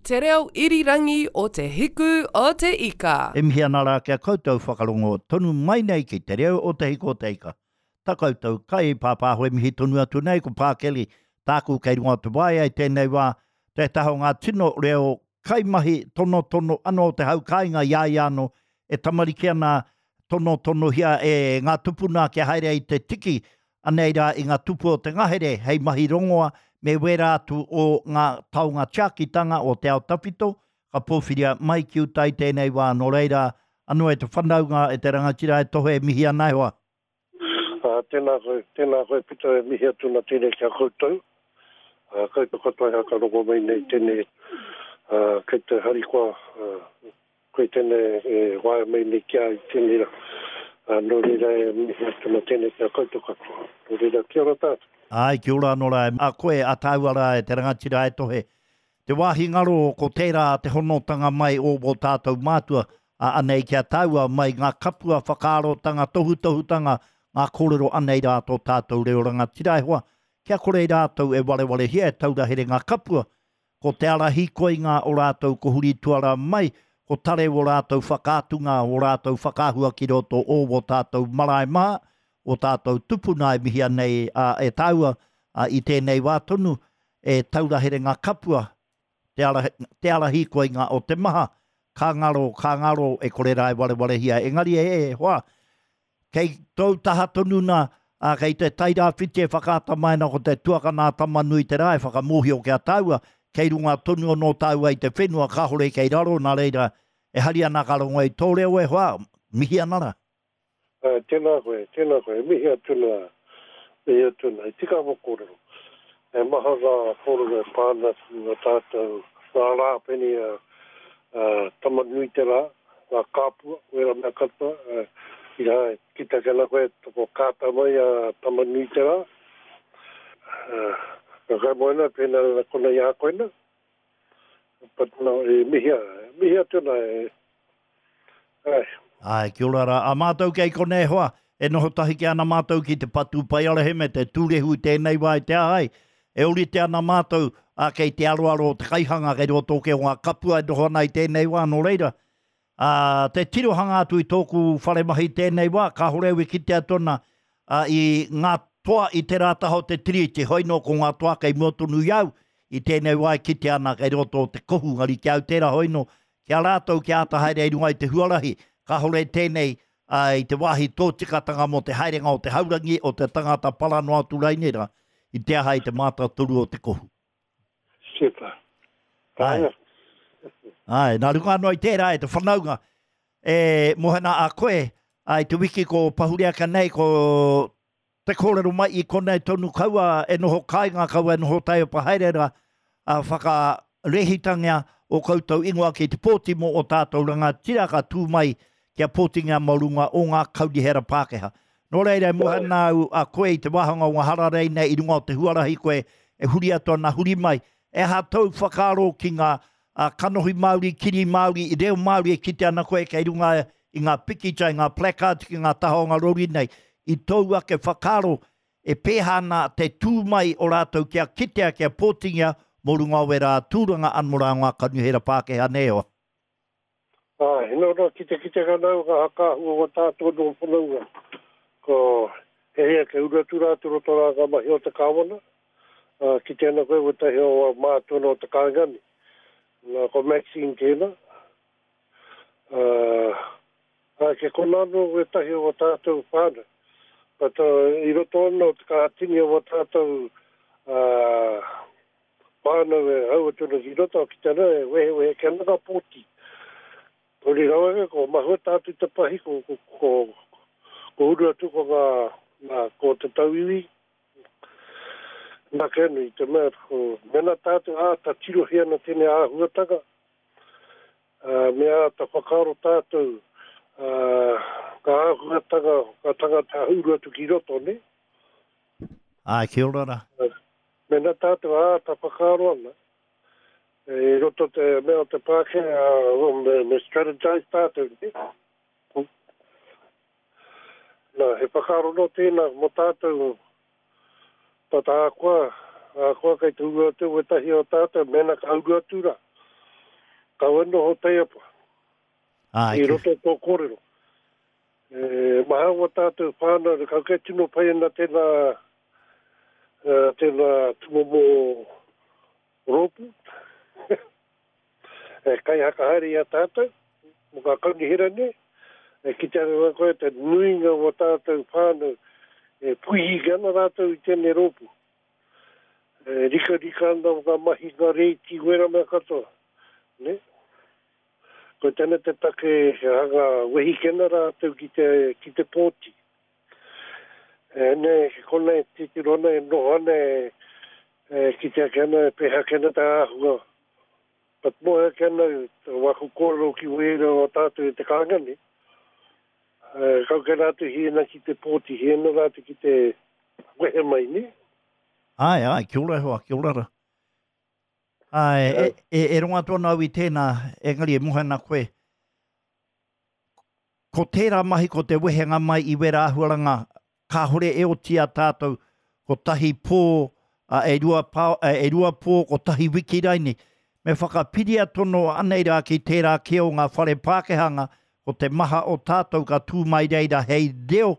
Te reo irirangi o Te Hiku o Te Ika. E mihi ana rā ki a koutou whakarongo tonu mai nei ki Te Reo o Te Hiku o Te Ika. Ta koutou kai pāpāho e mihi tonu atu nei ko Pākeli tāku kei runga o te waea i tēnei wā, tētahi o ngā tino reo kaimahi tonotono anō o te hau kāinga i a ia anō e tamariki ana tonotonohia e ngā tupuna kia haere ai te tiki anei rā i ngā tupu o te ngahere hei mahi rongoa me wērā atu o ngā taonga tiakitanga o te ao tawhito ka pōwhiria mai ki uta i tēnei wā nō reira anō e te whanaunga e te rangatira e tohe e mihi ana e hoa. Ā, tēnā koe, tēnā koe Pita e mihi atu ana tēnei ki a koutou, ā, koutou katoa e haka rongo mai nei tēnei, ā, kei te harikoa, ā, koe tēnei e waea mai nei ki a i tēnei rā. Ā, nō reira e mihi atu ana tēnei ki a koutou katoa. Nō reira, kia ora tātou. Āe, kia ora anō rā. A koe, a tāua rā e te rangatira e tohe. Te wāhi ngaro ko tērā te honotanga mai o wō tātou mātua, ā, anei ki a tāua mai ngā kapua whakaarotanga, tohutohutanga, ngā kōrero anei rā tō tātou reo rangatira e hoa, kia kore rātou e warewarehia e taura here ngā kapua, ko te ara hīkoinga o rātou ko huri tuara mai, ko tare wō rātou whakaatunga, wō rātou whakaahua ki roto o wō tātou marae maha, wō tātou tupuna e mihia nei e tāua i tēnei wā tonu, e taura here ngā kapua, te ara, te ara hīkoinga o te maha, ka ngaro, ka ngaro, e kore rā e warewarehia. Engari e, e hoa, kei tōu taha tonu nā, ā, kei te Tairāwhiti e whakaata mai ana ko te tuakana a Tama-nui-te-rā e whakamōhio ki a tāua, kei runga tonu anō tāua i te whenua, kāore kei raro, nā reira, e hari ana ka rongo i tō reo e hoa, mihi ana rā. Ā, tēnā koe, tēnā koe, e mihi atu nā, mihi atu nā, i tika ngō kōrero. He maha ngā kōrero e pā ana ki ngā tātou, ngā rā pēnei a, a Tamanuiterā, ngā kāpua, wērā mea katoa, ā, i rā, e kite ake ana koe, toko kāta mai a Tamanuiterā, ā, ka kai moena, pēnā rā konei a koe nā. But no, e mihi, mihi atu nā, e, Āe. Āe, kia ora rā. A mātou kei konei e hoa, e noho tahi kē ana mātou ki te patupaiarehe me te tūrehu i tēnei wā i te aha ai. E ōrite ana mātou, ā, kei te aroaro o te kaihanga, kei roto hoki o ngā kapua e noho ana i tēnei wā, nō reira, ā, te tirohanga atu i tōku whare mahi i tēnei wā, kāore au e kite atu ana, ā, i ngā toa i tērā taha o te tiriti, hoi nō ko ngā toa kei mua tonu i a au, i tēnei wā e kite ana kei roto o te kohu, engari ki a au tērā hoi nō, Ki a rātou kia āta haere i runga i te huarahi, kāore tēnei i te wāhi tōtikatanga mō te haerenga o te haurangi o te tangata para noa atu rainei rā, i te aha i te mātātoru o te kohu. Super. Āe. Āe, nā runga anō i tērā e te whanaunga, e mohena a koe, ā, i te wiki ko pahure ake nei, ko Te kōrero mai i konei tonu kaua e noho kāinga, kaua e noho taiepa haere ra, a whakarehitangia o koutou ingoa ki te pōti mō o tātou rangatira ka tū mai kia pōtingia mō runga o ngā kaunihera Pākehā. Nō reira e moe ana au a koe i te wāhanga o ngā hararei nei i runga o te huarahi koe e huri atu ana huri mai. E aha tōu whakaaro ki ngā kanohi Māori, kiri Māori, reo Māori e kite ana koe kei runga i ngā pikitia, i ngā placards ki ngā taha o ngā rori nei, i tōu ake whakaaro e pēhā ana te tū mai o rātou kia kitea, kia pōtingia mō runga o wērā tūranga anō rā o ngā kaunihera Pākehā nei e hoa? Āe, nō nā kitekite ana au ngā hakaahua o tātou nō whanaunga. Ko he hea kei uru atu rā te roto rā ngā mahi o te kāwana, ā, kite ana koe wētahi o ngā mātua nō te kāinga nei. Nā, ko Maxine tēnā. Ā, ā, kei konā anō wētahi o wā tātou whānau. But, uh, i roto anō te kaha tini o wā tātou, ā, Whānau e hau atu ana ki roto, ki te ana e wehewehe ki ana ngā pōti. Kori rawa ake, ko mahueta atu te pahi, ko, ko, ko, ko uru atu ko ngā, nā, ko te tauiwi. Nā kē nui, te mea, ko, mena tātou āta tirohia ana tēnei āhuatanga, ā, me āta whakaaro tātou, ā, ngā āhuatanga, ngā tangata uru atu ki roto, nē? Āe, kia ora rā. Mēnā tātou āta whakaaro ana, i roto te mea o te Pākehā, me, me strategise tātou, nē? Nā, he whakaaro nō tēnā mō tātou, tata ahakoa, ahakoa kei te uru atu wētahi o tātou, mēnā ka uru atu rā. Kaua noho taiapa. Āe, I roto tō kōrero. E maha wā tātou whānau, kau kei tino pai ana tēnā, tēnā tūmomo rōpū e kaihakahaere i a tātou mō ngā kaunihera nei, e kite ana koe te nuinga o wā tātou whānau e puihi ana rātou i tēnei rōpū. E rikarika ana ngā mahi, ngā rēti, wērā mea katoa, nē? Ko tēnei te take he hanga wehikena rātou ki te, ki te pōti. E nē, ki konei titiro ana e noho ana e, e kite ake ana e pēhea ake ana te āhua. But moe ake ana waku kōrero ki wērā o tātou e te kāinga nei. E, kau kei rātou hīena ki te pōti, hīena rātou ki te wehe mai, nē? Āe, āe, kia ora e hoa, kia ora ra. Āe, e, e, e rongo atu ana au i tēnā, engari e mohe ana koe. Ko tērā mahi ko te wehenga mai i wera āhuaranga, kāhore e oti a tātou, kotahi pō, a, e rua, pā, e rua pō, kotahi wiki raini. Me whakapiria tono anei rā ki tērā kē o ngā whare Pākehanga, ko te maha o tātou ka tū mai reira hei reo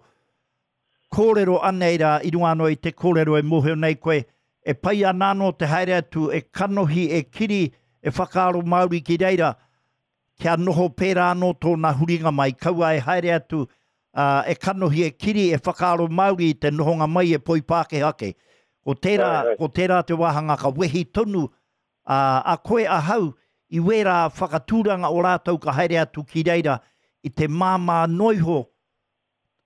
Kōrero anei rā i runga anō i te kōrero e mōhio nei koe, e pai ana anō te haere atu e kanohi, e kiri, e whakaaro Māori ki reira, kia noho pērā anō tōna huringa mai, kaua e haere atu, ā, e kanohi, e kiri, e whakaaro Māori i te nohonga mai e poi Pākehā kē. Ko tērā, ko tērā te wāhanga ka wehi tonu, ā, a koe ahau i wērā whakatūranga o rātou ka haere atu ki reira i te māmā noa iho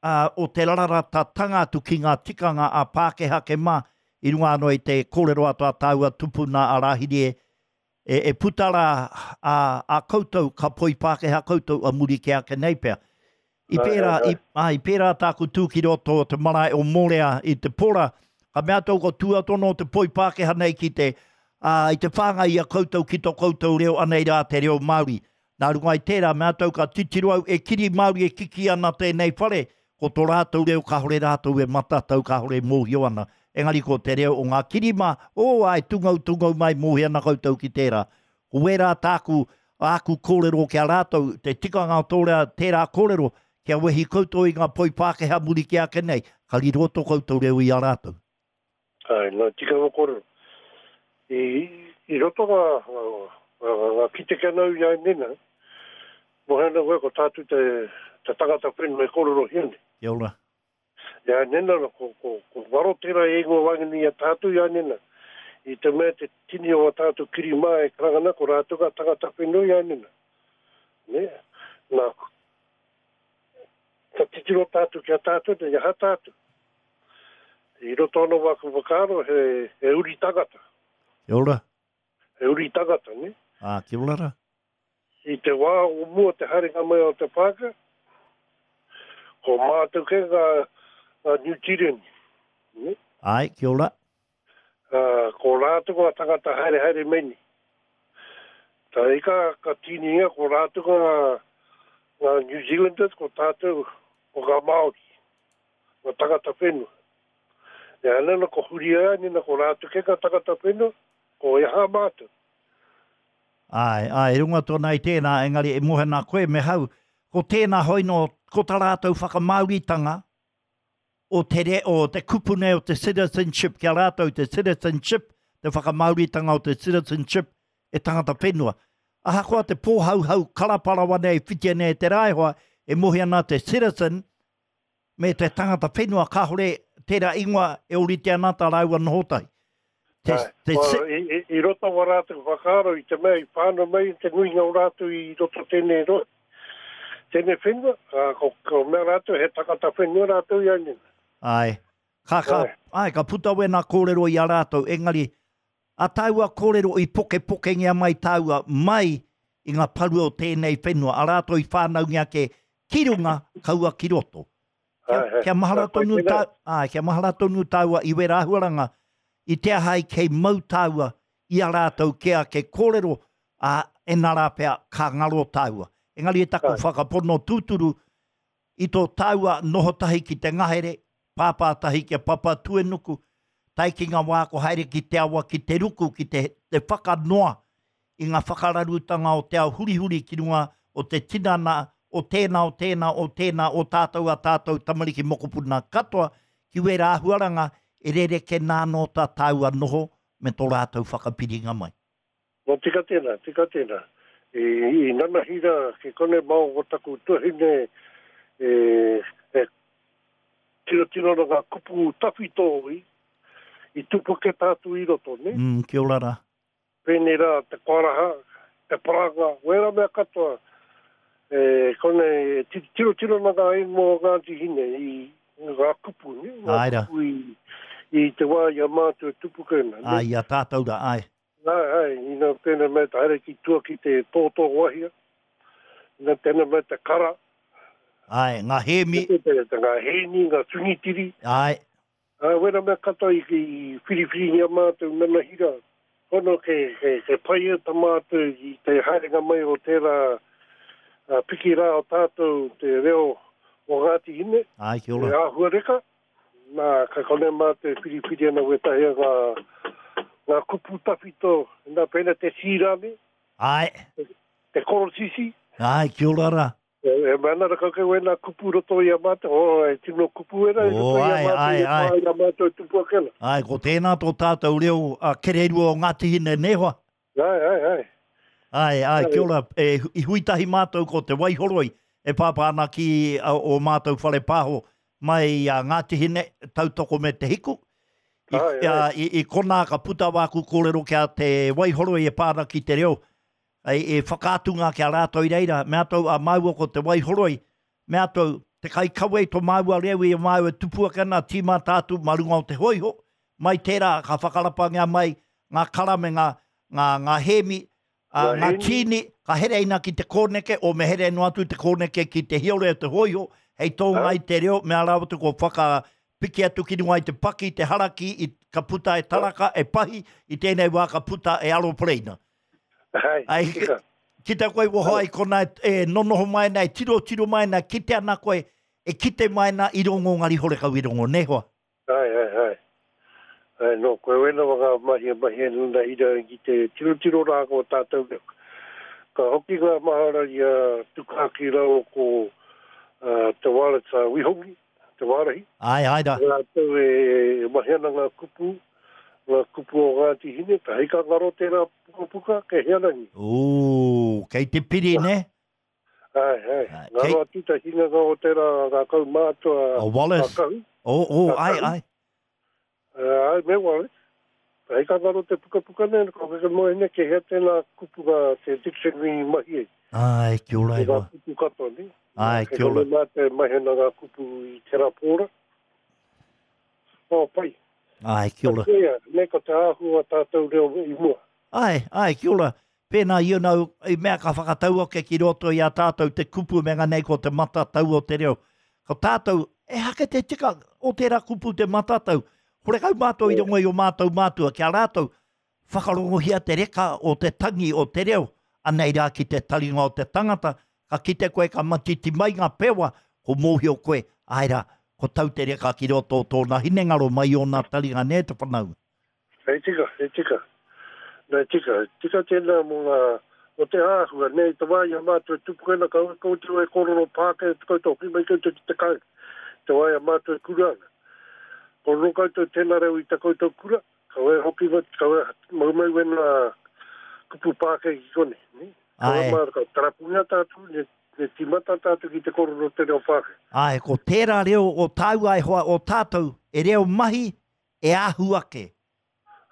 ā, o te raratatanga atu ki ngā tikanga a Pākehā ke mā, i runga anō i te kōrero atu a tāua tupuna a Rāhiri e, e, e puta rā a, a koutou, ka poi Pākehā koutou a muri kē ake nei pea. I pērā, i, ā, i pērā tāku tū ki roto o te marae o Mōrea i te pora, ka mea atu au ko tū atu anō te poi Pākehā nei ki te, ā, i te whāngai i a koutou ki tō koutou reo, anei rā te reo Māori. Nā runga i tērā, mea atu au ka titiro au e kiri Māori e kiki ana tēnei whare, ko tō rātou reo kāore rātou e matatau, kāore e mōhio ana. Engari ko te reo o ngā kirimā, ō, āe, tungou, tungou mai, mōhio ana koutou ki tērā. Ko wērā tāku, āku kōrero ki a rātou, te tikanga o tō rea, tērā kōrero, kia wehi koutou i ngā poi Pākehā muri kē ake nei, ka riro tō koutou reo i a rātou. Āe, nā tikanga kōrero. I, i roto ngā, ngā, ngā kite kia nau i a Nina, mohe ana koe ko tātou te, te tangata whenua e kōrerohia nei. Kia ora. I a Nina, ko, ko, ko ngaro tērā e ingoa waenganui i a tātou i a Nina. I te mea te tini o a tātou kiri mā e karanga ana, ko rātou ngā tangata whenua i a Nina. Nē? Nā, Ka titiro tātou ki a tātou nei, aha tātou? I roto anō wāku whakaaro, he, he uri tangata. Kia ora. He uri tangata, ne? Ā, kia ora rā. I te wā o mua te haerenga mai o te Pākehā, ko mātou kē ngā, ngā Niu Tīreni, ne? Āe, kia ora. Ā, ko rātou ngā tangata haerehaere mai nei. Tā ika ka tīningia ko rātou ngā, ngā New Zealanders, ko tātou ko ngā Māori, ngā tangata whenua. E ana na ko huri ai nina ko rātou kē ngā tangata whenua, ko e aha mātou. Āe, āe, runga tōna i tēnā, engari e moe ana koe me hau, ko tēnā hoi nō, ko tā rātou whakamāoritanga, o te re, o te kupu nei o te citizenship ki a rātou, te citizenship, te whakamāoritanga o te citizenship e tangata whenua. Ahakoa te pōhauhau karaparawa nei e whitia nei e te raehoa, e mohi ana te citizen me te tangata whenua kāore tērā ingoa e ōrite ana tā rāua noho tahi. Te, te, well, i, i, i roto wa rātou whakaaro i te mea i whānau mai te nuinga o rātou i roto tēnei rohe, tēnei whenua, ā, ko, ko mea rātou he takata whenua rātou i a nina. Āe. Ka, ka, āe, ka puta wēnā kōrero i a rātou, engari, a tāua kōrero i pokepokengia mai tāua mai i ngā paru o tēnei whenua, a rātou i whānaungia ake ki runga, kaua ki roto. Kia, kia mahara tonu tā, āe, kia mahara tonu tāua i wērā āhuaranga, i te aha ai kei mau tāua i a rātou kē ake kōrero, ā, ēnā rā pea ka ngaro tāua. Engari e taku whakapono tūturu, i tō tāua noho tahi ki te ngahere, pāpā tahi ki a Papatuenuku, tae ki ngā wā ko haere ki te awa, ki te ruku, ki te, te whakanoa. i ngā whakararutanga o te ao hurihuri ki runga o te tinana o tēnā, o tēnā, o tēnā, o tātou a tātou tamariki mokopuna katoa ki wērā āhuaranga e rerekē nā anō tā tāua noho me tō rātou whakapiringa mai. Nō tika tēnā, tika tēnā. I, i nanahi rā ki konei māua ko taku tuahine e, e tirotiro ana ngā kupu tawhito i, i tupu ake tātou i roto, nē? Mm, kia ora rā. Pēnei rā te koaraha, te paranga, wērā mea katoa, e konei e tirotiro ana ngā ingoa o Ngāti Hine i ngā kupu, nē, ngā kupu i, i te wā i a mātou e tupu kē ana, nē. Āe, i a tātou rā, āe. Āe, āe, ina tēnei mea te haere ki tua ki te tōtō wahia, ina tēnei mea te kara. Āe, ngā hēmi. Te, te, te, ngā hēni, ngā tungitiri. Āe. Ā, wera mea katoa i whiriwhiringia mātou nanahira, hono ke, ke, ke pai e ta mātou i te haerenga mai o tērā piki rā o tātou te reo o Ngāti Hine, Āe, kia ora. te āhuareka, nā, ka konei mātou e whiriwhiri ana wētahi o ngā, ngā kupu tawhito, nā, pēnā te sīrame, Āe. te korosisi. Āe, kia ora rā. E mea ana rakau kei wena kupu roto i a mātou, oh, e tino kupu wera i roto i a mātou, i pā i a mātou e tupu ake ana. Āe, ko tēnā tō tātou reo a Kererua o Ngāti Hine, nē hoa? Āe, āe, āe. Āe, āe, kia ora, e, i hui tahi mātou ko Te Waihoroi, e pāpā ana ki ō mātou whare pāho mai i a Ngāti Hine, tautoko me Te Hiku. I, āe, āe. I, i konā ka puta wāku kōrero ki a Te Waihoroi e pā ana ki te reo, Hei e whakaatunga ki a rātou i reira, mea tou a māua ko Te Waihoroi, mea tou, te kaikawe i to māua reo i a māua e tupu ake ana, tīmata atu mā runga o te hōiho, mai tērā ka whakarapangia mai ngā kara me ngā, ngā, ngā hēmi, ā, ngā tīni, ka hereina ki te kōneke, o me here noa atu te kōneke ki te hiore o te hōiho, hei tōnga i te reo, mea rawa atu ko whakapiki atu ki runga i te paki, te haraki, i, ka puta e taraka, e pahi, i tēnei wā ka puta e aropareina. Hai, Ai, tika. Ki te koe woho ai kona e nonoho mai ana, e tirotiro mai ana, kite ana koe, e kite mai ana i rongo ngari horekau i rongo, ne hoa? Ai, ai, ai. Ai, no, koe wena wa ngā mahi e mahi ana nā ira ki te tirotiro rā ko tātou reo. Ka hoki ngā mahara i a Tukaki rāua ko uh, Te Waratā Wihongi, Te Wārahi. Ai, ai rā. Rātou e mahi ana ngā kupu, ngā kupu o Ngāti Hine, ka hei ka ngaro tērā pukapuka, kei hea rangi. Ooh, kei te piri, nē? Ai, ai. Ngaro atu te hinganga o tērā ngā kaumātua a Wallace. Kahu. Oh, oh, ai, ai. Ai, me Wallace. Hei ka ngaro te pukapuka nei, ko keke moe nei, kei hea tēnā kupu ngā te dictionary i mahi ai. Ai, kia ora e hoa. Ngā kupu katoa, ne? Ai, kia ora. Kei konei mātou e mahi ana ngā kupu i tērā pōra. Oh, pai. Ai, kia ora. Koia, nei ko te āhua o tātou reo i mua. Ai, ai, kia ora. Pēnā, you know, i mea ka whakatau ake ki roto i a tātou te kupu me ngā nei ko te matatau o te reo. Ko tātou, ehake te tika o tērā kupu te matatau. Horekau mātou i rongo i o mātou mātua, ki a rātou, whakarongohia te reka o te tangi o te reo, anei rā ki te taringa o te tangata, ka kite koe ka matiti mai ngā pewa, ko mōhio koe, āe rā, ko tau te reka ki roto o tōna hinengaro mai i ōna taringa nē te whanaunga. He tika, he tika. Nā, he tika. Tika tēnā mō ngā, mō te āhua, nē, i te wā i a mātou e tupu ana, kaua koutou e kōrero Pākehā, te koutou hoki mai koutou ki te kāinga, i te wā i a mātou e kura ana. Kōrero koutou tēnā reo i tā koutou kura, kaua e hoki mai, kaua e mau mai wēnā kupu Pākehā ki konei, nē. Kaua Āe. mā, ka tarapungia tātou, nē, nē tīmata tātou ki te kōrero te reo Pākehā. Āe, ko tērā reo o tāua e hoa, o tātou, e reo mahi, e ahu ake.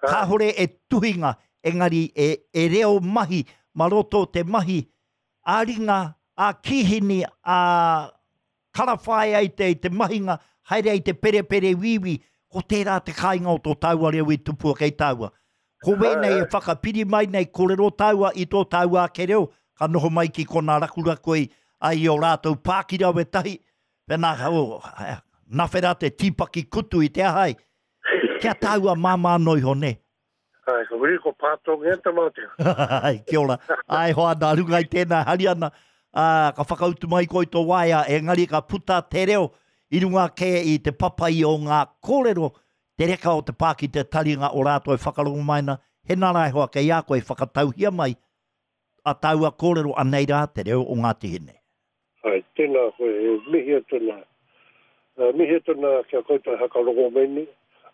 Kāhore e tuhinga, engari e, e reo mahi, ma roto o te mahi ā-ringa, ā-kīhini, ā-karawhaea i te, i te mahinga, haere ai te perepere wīwī, ko tērā te kāinga o tō tāua reo i tupu ake i tāua. Ko wēnei e whakapiri mai nei, kōrero tāua i tō tāua ake reo, ka noho mai ki konā rakuraku ai, ai i ō rātou pākirawe tahi, Pēnā, oh, nawhera te tīpaki kutu i te aha ai. Kia tāua māmā noa iho, nē? Ai, ko wiri ko Pātongia te mātea. Ai, kia ora. Ai, hoa, nā runga i tēnā, hari ana, ā, ka whakautu mai koe i tō waea, engari ka puta te reo i runga kē i te papai o ngā kōrero, te reka o te pā ki te taringa o rātou e whakarongo mai ana, hena rā e hoa kei a koe, whakatauhia mai. A tāua kōrero anei rā te reo o Ngāti Hine. Āe, tēnā koe, e mihi atu ana, mihi atu ana ki a koutou e hakarongo mai nei.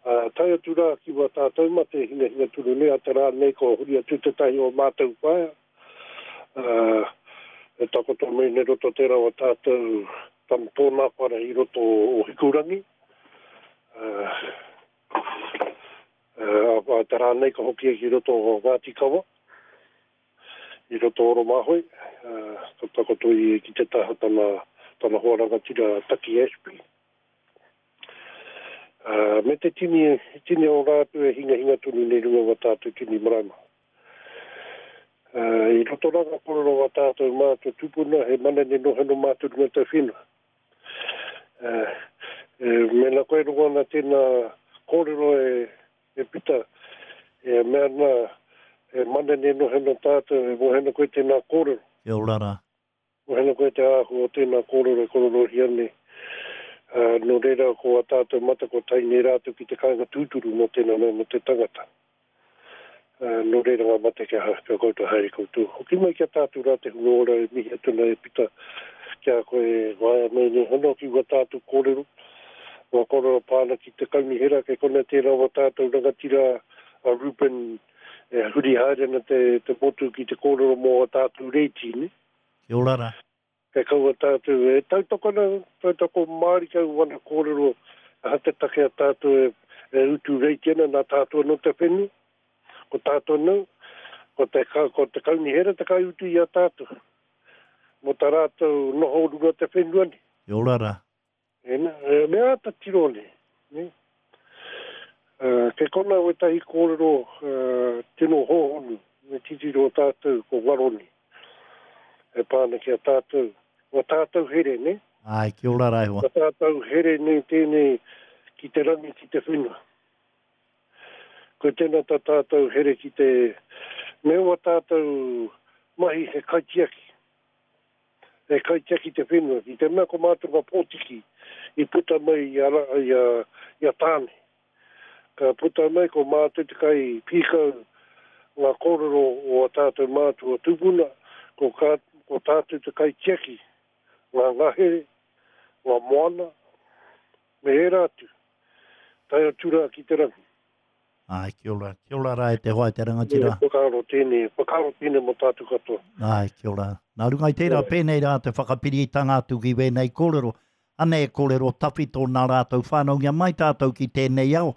Ā, tae atu rā ki wā tātou mate e hingahinga tonu nei, a te rā nei kua huri atu tētahi o mātou whaea, ā, e takoto mai nei roto tērā o tātou tana tōna whare i roto o Hikurangi. Ā, ā, te rā nei ka hoki ai ki roto o Ngāti Kawa. I roto o Oromahoe, ka takoto ia ki te taha tana, tana hoa rangatira a Taki Ashby. Me te tini, tini o rātou e hingahinga tonu nei runga wa tātou tini marae maha. I roto rā ngā kōrero wa tātou mātua tupuna he manene noheno mātou runga te whenua. Mēnā koe rongo ana tēnā kōrero e E Pita, e mea ana, e manene noheno tātou, e mohena koe tēnā kōrero. Kia ora rā. Mohena koe te āhua o tēnā kōrero e kororohia nei. Ā, nō reira, ko ā tātou mata kua tae nei rātou ki te kāinga tūturu mō tēnā mea mō te tangata. Ā, nō reira ngā mate kia, kia koutou haere koutou. Hoki mai ki a tātou rā te hunga ora e mihi atu ana e Pita ki a koe e waea mai nei hono ki wā tātou kōrero. Ngā kōrero pā ana ki te kaunihera, kei konei tērā o tātou rangatira a Reuben e huri haere ana te, te motu ki te kōrero mō ā tātou rēti, nē? Kia ora rā. Kei kaua tātou e tautoko ana, tautoko mārika au wana kōrero aha te take a tātou e, e utu rēti ana nā tātou anō te whenua, ko tātou anō, ko te, ko te kaunihera te kaiutu i a tātou mō tā rātou noho runga te whenua nei. Kia ora rā. Ena, e mea āta tiro nei, ne? Kei kona wētahi kōrero tino hōhonu me titiro tātou ko ngaro nei e pā ana ki a tātou, wā tātou here, ne? Āe, kia ora rā e hoa. Wā tātou here nei tēnei ki te rangi, ki te whenua. Ko tēnā tā tātou here ki te, me wā tātou mahi he kaitiaki. E kaitiaki te whenua, ki te mea ko mātou ngā pōtiki i puta mai i a, i a, i a Tāne. Ka puta mai ko mātou te kai pīkau ngā kōrero o a tātou mātua tupuna, ko, ka, ko tātou te kaitiaki ngā ngahere, ngā moana, me ērā atu, tae atu rā ki te rangi. Āe, kia ora. Kia ora rā e te hoa e te rangatira. He whakaaro tēnei, he whakaaro tēnei mō tātou katoa. Āe, kia ora. Nā runga i tērā, pēnei rā te whakapiritanga atu ki wēnei kōrero. Anei e kōrero tawhito nā rātou whānaungia mai tātou ki tēnei ao,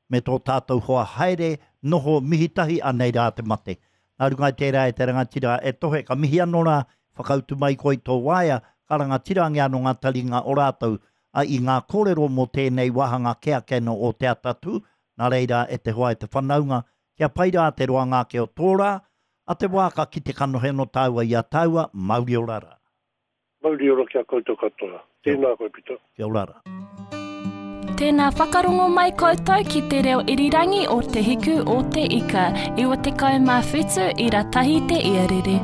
me tō tātou hoa haere, noho, mihi tahi, anei rā te mate. Nā runga i tērā e te rangatira e tohe, ka mihi anō rā, whakautu mai koe i tō waea, ka rangatirangia anō ngā taringa o rātou, a i ngā kōrero mō tēnei wāhanga kē ake anō o Te Atatū, Nā reira, e te hoa e te whanaunga, kia pai rā te roanga ake o tō rā, a te wā ka kite kanohi anō tāua i a tāua, mauri ora rā. Mauri ora ki a koutou katoa. Tēnā koe Pita. Kia ora rā. Tēnā whakarongo mai koutou ki te reo irirangi o Te Hiku o Te Ika, 97 ira tahi te iarere.